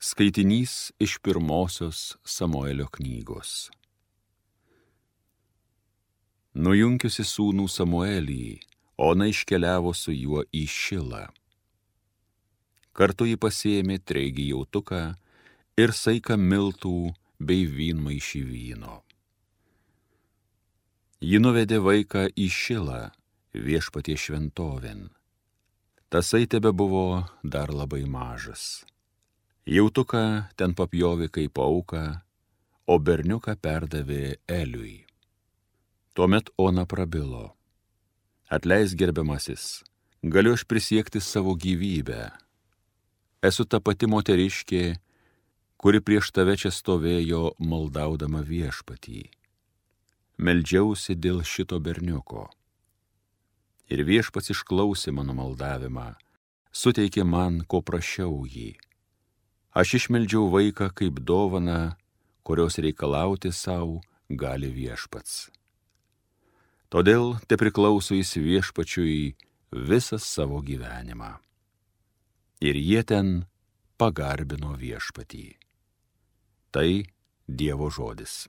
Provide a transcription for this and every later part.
Skaitinys iš pirmosios Samuelio knygos. Nujunkiusi sūnų Samuelį, Ona iškeliavo su juo į Šilą. Kartu ji pasiėmė treigį jautuką ir saiką miltų bei vynmaišį vyno. Ji nuvedė vaiką į Šilą, viešpaties šventovėn. Tasai tebebuvo dar labai mažas. Jautuką ten papjovė kaip auką, o berniuką perdavė Eliui. Tuomet Ona prabilo: Atleisk, gerbiamasis, galiu aš prisiekti savo gyvybę. Esu ta pati moteriškė, kuri prieš tave čia stovėjo maldaudama viešpatį. Meldžiausi dėl šito berniuko. Ir viešpats išklausė mano maldavimą, suteikė man, ko prašiau jį. Aš išmeldžiau vaiką kaip dovaną, kurios reikalauti savo gali viešpats. Todėl te priklauso jis viešpačiui visą savo gyvenimą. Ir jie ten pagarbino viešpatį. Tai Dievo žodis.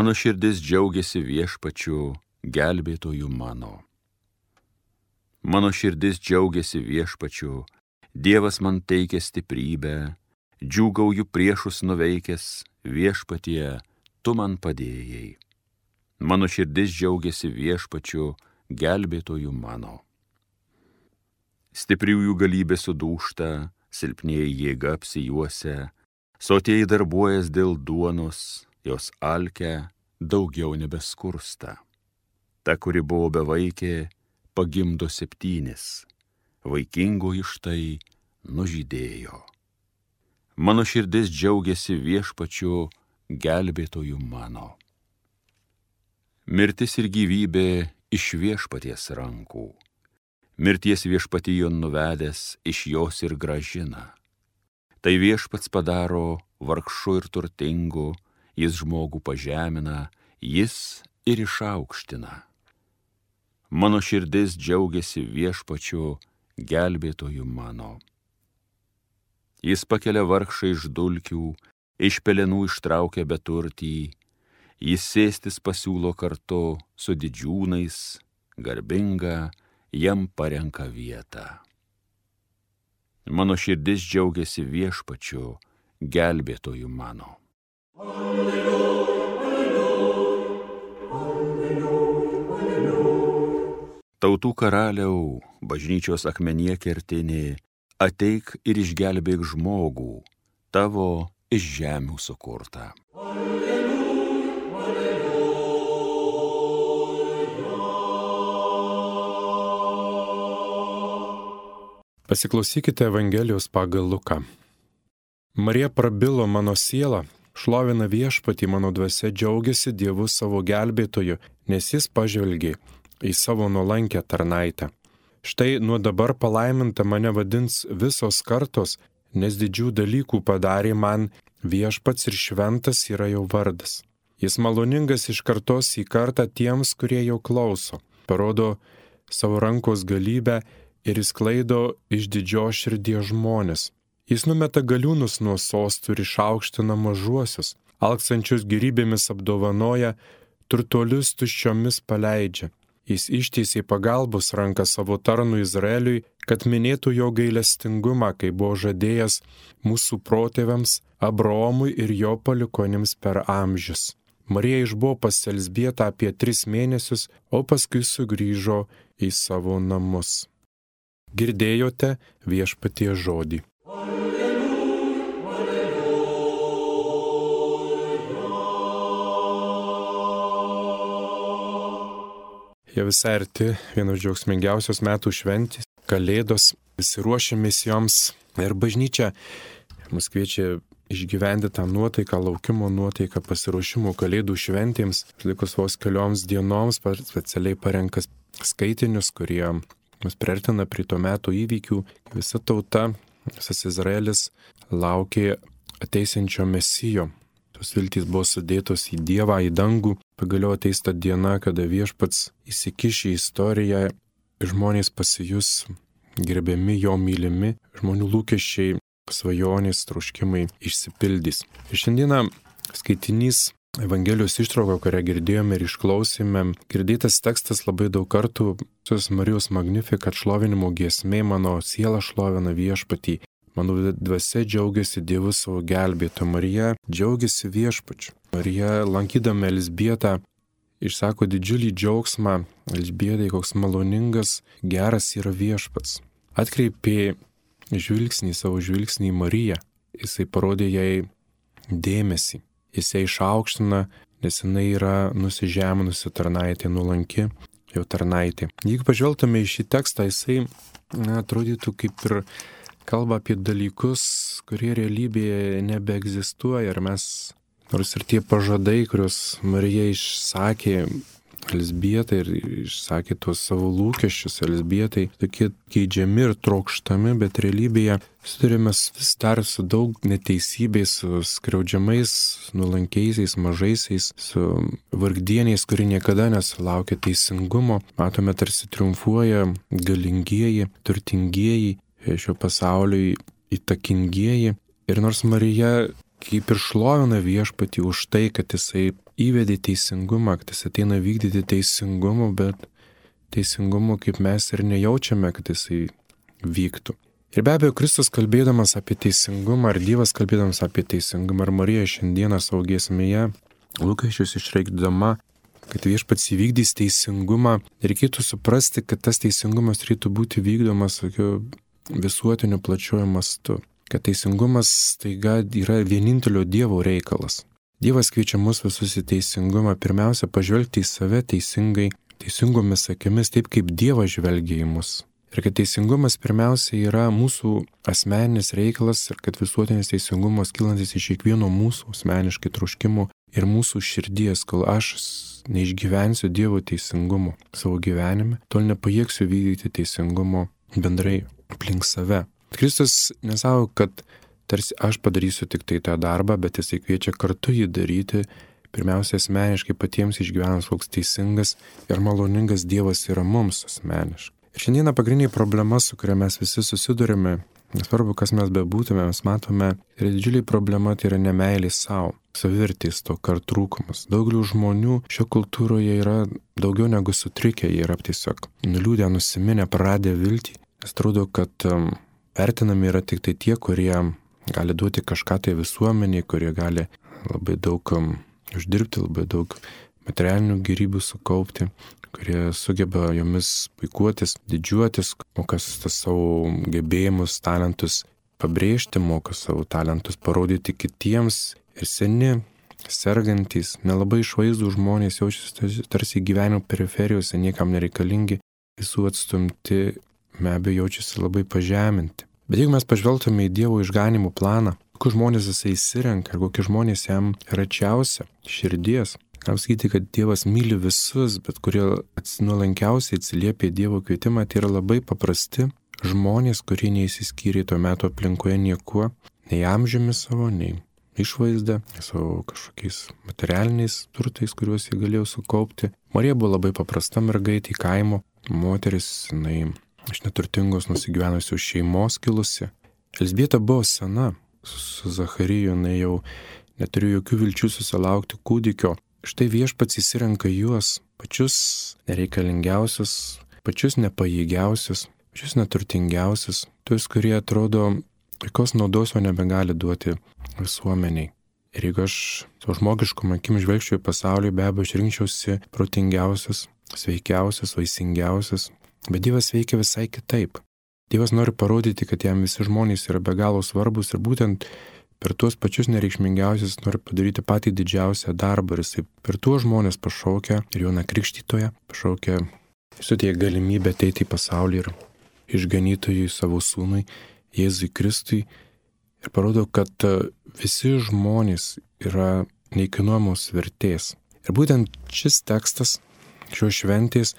Mano širdis džiaugiasi viešpačiu, gelbėtoju mano. Mano širdis džiaugiasi viešpačiu, Dievas man teikia stiprybę, džiūgauju priešus nuveikęs, viešpatie, tu man padėjai. Mano širdis džiaugiasi viešpačiu, gelbėtoju mano. Stipriųjų galybė sudūžta, silpnieji jėga apsijuosia, sotieji darbuojas dėl duonos, jos alkę daugiau nebeskursta. Ta, kuri buvo bevaikė, pagimdo 7, vaikingoji štai nužydėjo. Mano širdis džiaugiasi viešpačiu, gelbėtoju mano. Mirtis ir gyvybė iš viešpaties rankų. Mirties viešpatijon nuvedęs, iš jos ir grąžina. Tai viešpats padaro vargšu ir turtingu, jis žmogų pažemina, jis ir išaukština. Mano širdis džiaugiasi viešpačiu, gelbėtoju mano. Jis pakelia vargšą iš dulkių, iš pelenų ištraukia beturtį, jis sėstis pasiūlo kartu su didžiūnais, garbinga jam parenka vietą. Mano širdis džiaugiasi viešpačiu, gelbėtoju mano. Tautų karaliau, bažnyčios akmenyje kertinė, ateik ir išgelbėk žmogų, tavo iš žemių sukurtą. Pasiklausykite Evangelijos pagal Luką. Marija prabilo mano sielą, šlovina viešpatį, mano dvasia džiaugiasi Dievu savo gelbėtoju, nes jis pažvelgė į savo nuolankę tarnaitę. Štai nuo dabar palaiminta mane vadins visos kartos, nes didžių dalykų padarė man, viešpats ir šventas yra jo vardas. Jis maloningas iš kartos į kartą tiems, kurie jo klauso, parodo savo rankos galybę ir išsklaido iš didžios širdies žmonės. Jis numeta galiūnus nuo sostų ir išaukština mažuosius, alksančius gėrybėmis apdovanoja, turtuolius tuščiomis paleidžia. Jis ištiesė pagalbos ranką savo tarnui Izraeliui, kad minėtų jo gailestingumą, kai buvo žadėjęs mūsų protėviams, Abraomui ir jo palikuonims per amžius. Marija išbuvo pas Elzbietą apie 3 mėnesius, o paskui sugrįžo į savo namus. Girdėjote viešpaties žodį. Jie visai arti vienos džiaugsmingiausios metų šventės, Kalėdos, visi ruošiamės joms ir bažnyčia mus kviečia išgyventi tą nuotaiką, laukimo nuotaiką, pasiruošimo Kalėdų šventėms. Likus vos kelioms dienoms specialiai parenkas skaitinius, kurie mus priartina prie to meto įvykių. Visa tauta, visas Izraelis laukė ateisinčio Mesijo. Tos viltys buvo sudėtos į Dievą, į dangų. Pagaliau ateis ta diena, kada Viešpats įsikiš į istoriją ir žmonės pasijus gerbiami, jo mylimi, žmonių lūkesčiai, svajonės, troškimai išsipildys. Ir šiandieną skaitinys Evangelijos ištrauka, kurią girdėjome ir išklausėme, girdėtas tekstas labai daug kartų, Marijos Magnificat šlovinimo giesmė, mano siela šlovina Viešpatį, mano dvasia džiaugiasi Dievu savo gelbėtoju, Marija džiaugiasi Viešpačiu. Marija, lankydama Elzbietą, išsako didžiulį džiaugsmą, Elzbietai, koks maloningas, geras yra Viešpats. Atkreipė savo žvilgsnį į Mariją. Jisai parodė jai dėmesį. Jis ją išaukština, nes jinai yra nusižeminusi tarnaitė, nuolanki jo tarnaitė. Jeigu pažvelgtume į šį tekstą, jisai atrodytų kaip ir kalba apie dalykus, kurie realybėje nebeegzistuoja. Ir mes, nors ir tie pažadai, kuriuos Marija išsakė Elzbietai ir išsakė tuos savo lūkesčius Elzbietai, tokie geidžiami ir trokštami, bet realybėje susidurime vis dar su daug neteisybės, su skriaudžiamais, nuolankiaisiais, mažaisiais, su vargdieniais, kurie niekada nesulaukia teisingumo. Matome, tarsi triumfuoja galingieji, turtingieji, šio pasaulio įtakingieji. Ir nors Marija kaip ir šlovina Viešpatį už tai, kad jisai įvedė teisingumą, kad jis ateina vykdyti teisingumą, bet teisingumo kaip mes ir nejaučiame, kad jisai vyktų. Ir be abejo, Kristus kalbėdamas apie teisingumą, ar Dievas kalbėdamas apie teisingumą, ar Marija šiandieną savo giesmėje, lūkesčius išreikšdama, kad Viešpats įvykdys teisingumą, reikėtų suprasti, kad tas teisingumas turėtų būti vykdomas tokiu visuotiniu plačiuoju mastu. Kad teisingumas taiga yra vienintelio Dievo reikalas. Dievas kviečia mus visus į teisingumą, pirmiausia, pažvelgti į save teisingai, teisingomis akimis, taip kaip Dievas žvelgia į mus. Ir kad teisingumas pirmiausia yra mūsų asmeninis reikalas ir kad visuotinis teisingumas kylantis iš kiekvieno mūsų asmeniškai troškimų ir mūsų širdies, kol aš neišgyvensiu Dievo teisingumo savo gyvenime, tol nepajėgsiu vykdyti teisingumo bendrai aplink save. Kristus nesako, kad tarsi aš padarysiu tik tai tą darbą, bet jisai kviečia kartu jį daryti, pirmiausia asmeniškai patiems išgyvenus, koks teisingas ir maloningas Dievas yra mums asmeniškai. Ir šiandieną pagrindinė problema, su kuria mes visi susidurime, nesvarbu, kas mes bebūtume, mes matome, yra didžiulė problema, tai yra nemeilė savo, savivertės stoka ar trūkumas. Daugelių žmonių šio kultūroje yra daugiau negu sutrikę, jie yra tiesiog nuliūdę, nusiminę, praradę viltį. Nes atrodo, kad vertinami yra tik tai tie, kurie gali duoti kažką tai visuomeniai, kurie gali labai daug uždirbti, labai daug materialinių gėrybių sukaupti, kurie sugeba jomis puikuotis, didžiuotis, moka savo gebėjimus, talentus pabrėžti, moka savo talentus parodyti kitiems. Ir seni, sergantys, nelabai išvaizdų žmonės jaučiasi tarsi gyvenimo periferijose, niekam nereikalingi, visų atstumti, be abejo jaučiasi labai pažeminti. Bet jeigu mes pažvelgtume į Dievo išganimų planą, kokius žmonės jisai įsirenka ir kokie žmonės jam račiausia širdies, galim sakyti, kad Dievas myli visus, bet kurie nuolankiausiai atsiliepia Dievo kvietimą, tai yra labai paprasti žmonės, kurie neįsiskyrė tuo metu aplinkoje niekuo, nei amžiumi savo, nei išvaizdą, savo kažkokiais materialiniais turtais, kuriuos jie galėjo sukaupti. Marija buvo labai paprasta mergaitė, kaimo moteris, jinai iš neturtingos nusigyvenusios šeimos kilusi. Elzbieta buvo sena, su Zachariju jinai jau neturėjo jokių vilčių susilaukti kūdikio. Štai Viešpats įsirenka juos, pačius nereikalingiausius, pačius nepajėgiausius, pačius neturtingiausius, tuos, kurie atrodo, jokios naudos jo nebegali duoti visuomeniai. Ir jeigu aš savo žmogiškom akim žvelgčiau į pasaulį, be abejo, aš rinkčiausi protingiausius, sveikiausius, vaisingiausius. Bet Dievas veikia visai kitaip. Dievas nori parodyti, kad jam visi žmonės yra be galo svarbus ir būtent per tuos pačius nereikšmingiausius nori padaryti patį didžiausią darbą. Ir jisai per tuos žmonės pašaukia ir Joną Krikštytoją, pašaukia, suteikia galimybę ateiti į pasaulį ir išganytojui savo sūnui, Jėzui Kristui, ir parodo, kad visi žmonės yra neįkainuojamos vertės. Ir būtent šis tekstas, šios šventės,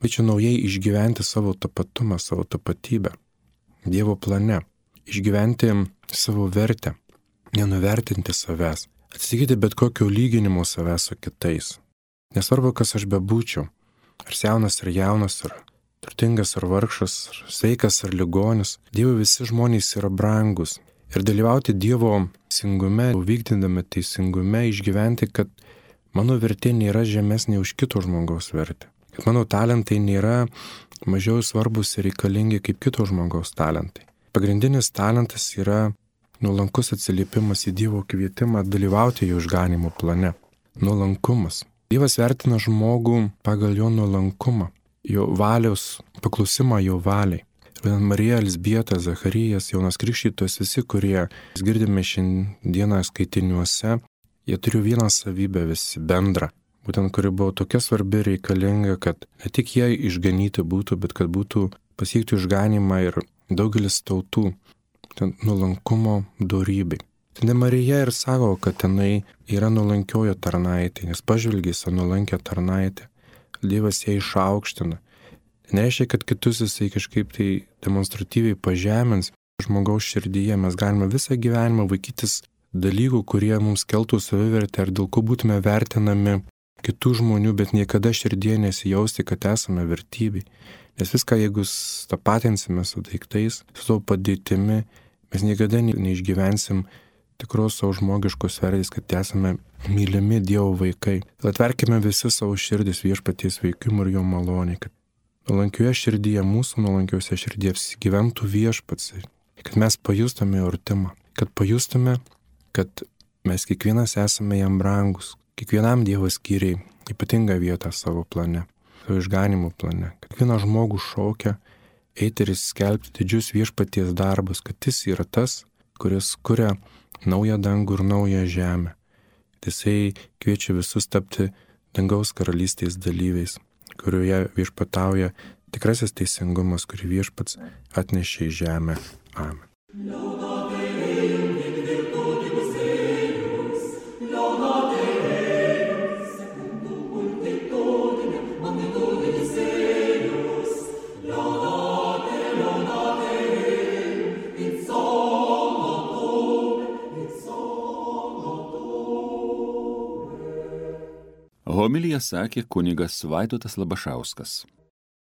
kviečia naujai išgyventi savo tapatumą, savo tapatybę Dievo plane, išgyventi savo vertę, nenuvertinti savęs, atsisakyti bet kokio lyginimo savęs su kitais. Nesvarbu, kas aš bebūčiau, ar senas ar jaunas, ar turtingas ar vargšas, ar sveikas ar ligonis, Dievui visi žmonės yra brangus. Ir dalyvauti Dievo teisingume, vykdydami teisingume, išgyventi, kad mano vertė nėra žemesnė už kito žmogaus vertę. Kad mano talentai nėra mažiau svarbus ir reikalingi kaip kito žmogaus talentai. Pagrindinis talentas yra nuolankus atsiliepimas į Dievo kvietimą dalyvauti jo išganymo plane. Nuolankumas. Dievas vertina žmogų pagal jo nuolankumą, jo valios, paklusimą jo valiai. Marija, Elzbieta, Zacharijas, Jonas Krikštytojas, visi, kurie girdime šiandieną skaitiniuose, jie turi vieną savybę visi bendrą. Būtent, kuri buvo tokia svarbi ir reikalinga, kad ne tik jie išganyti būtų, bet kad būtų pasiekti išganimą ir daugelis tautų. Nuolankumo dorybei. Ten Marija ir sako, kad tenai yra nuolankiojo tarnaitė, nes pažvelgė į nuolankę tarnaitę. Dievas ją išaukština. Nereiškia, kad kitus jisai kažkaip tai demonstratyviai pažemins. Žmogaus širdyje mes galime visą gyvenimą vaikytis dalykų, kurie mums keltų savivertę ir dėl ko būtume vertinami kitų žmonių, bet niekada širdyje nesijausti, kad esame vertybei. Nes viską, jeigu tapatinsime su daiktais, su savo padėtimi, mes niekada neišgyvensim tikros savo žmogiškos vertės, kad esame mylimi Dievo vaikai. Atverkime visi savo širdis Viešpaties veikimui ir jo maloniai, kad nuolankioje širdyje, mūsų nuolankiose širdyje gyventų Viešpats, kad mes pajustume jo artumą, kad pajustume, kad mes kiekvienas esame jam brangus, kiekvienam Dievas skyrė ypatingą vietą savo plane, savo išganimo plane, kad kiekvieną žmogų šaukia eiti ir skelbti didžius Viešpaties darbus, kad jis yra tas, kuris kuria naują dangų ir naują žemę. Jisai kviečia visus tapti dangaus karalystės dalyviais, kurioje viešpatauja tikrasis teisingumas, kurį Viešpats atnešė į žemę. Amen. Homiliją sakė kunigas Vaidotas Labašauskas.